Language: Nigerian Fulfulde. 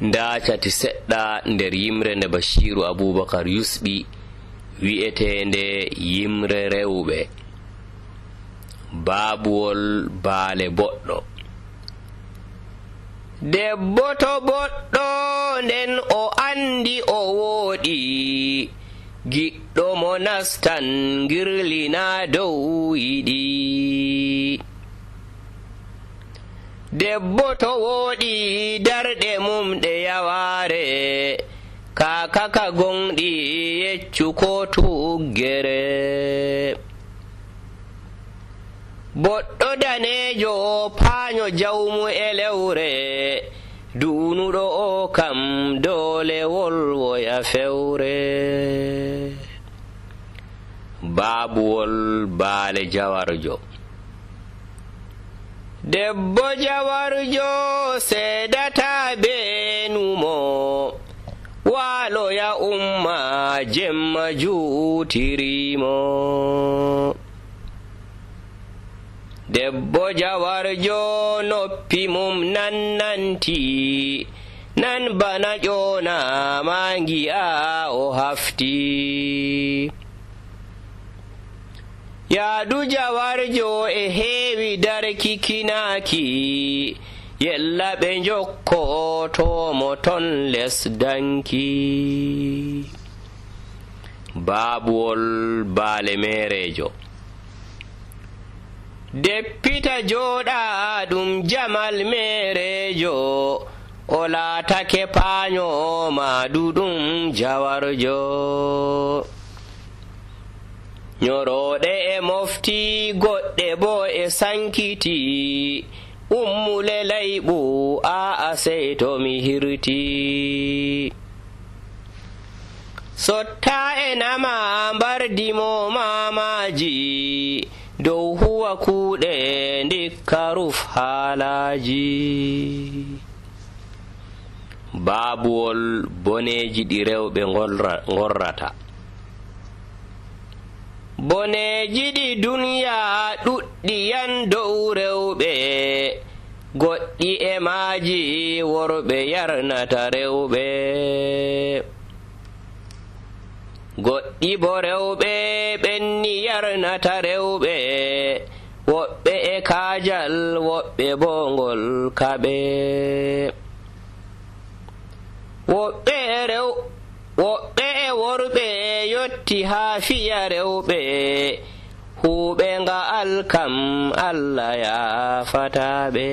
ndaacati seɗɗa nder yimre nde Bashiru Abubakar yusɓi wi'eteende yimre rewɓe. Baabuwol baale boɗɗo. Debbo to boɗɗo nden o andi o wooɗi, giɗɗo mo nastan girlina dow yiɗi. Debbo to wooɗi darɗe mum ɗe yawaare, kaaka ka gonɗi yeccu ko tuggere. Boɗɗo daneejo paaño jawmu e lewre, duunuɗo o kam doole wolwoya fewre. Baabuwol baale jawarjo. Debbo jawarjo seedata beenumo, waaloya umma jemma juutirimo. Debbo jawarjo noppi mum nannanti, nan bana ƴoona ma ngi'a o hafti. Yaadu jawarjo e heewi darkikinaaki, yella ɓe njokkotomo ton les danki. Baabuwol baale meerejo. Deppita jooɗa ɗum jamal meerejo, o laatake paaño maaduɗum jawarjo. Nyorooɗe e mofti, goɗɗe bo e sankiti, ummule layɓu aa sey to mi hirti. Sotta e nama mbardimo mamaji, dow huwa kuuɗe ndikka ruf haalaji. Baabuwol boneeji ɗi rewɓe ngorrata. Boneeji ɗi duniya ɗuɗɗi yan dow rewɓe, goɗɗi e maaji worɓe yarnata rewɓe. Goɗɗi bo rewɓe ɓenni yarnata rewɓe, woɓɓe e kaajal woɓɓe bo ngol kaɓe. Woɓɓe e worɓe yotti haa fiya rewɓe, huuɓe nga'al kam Allah yaafataɓe.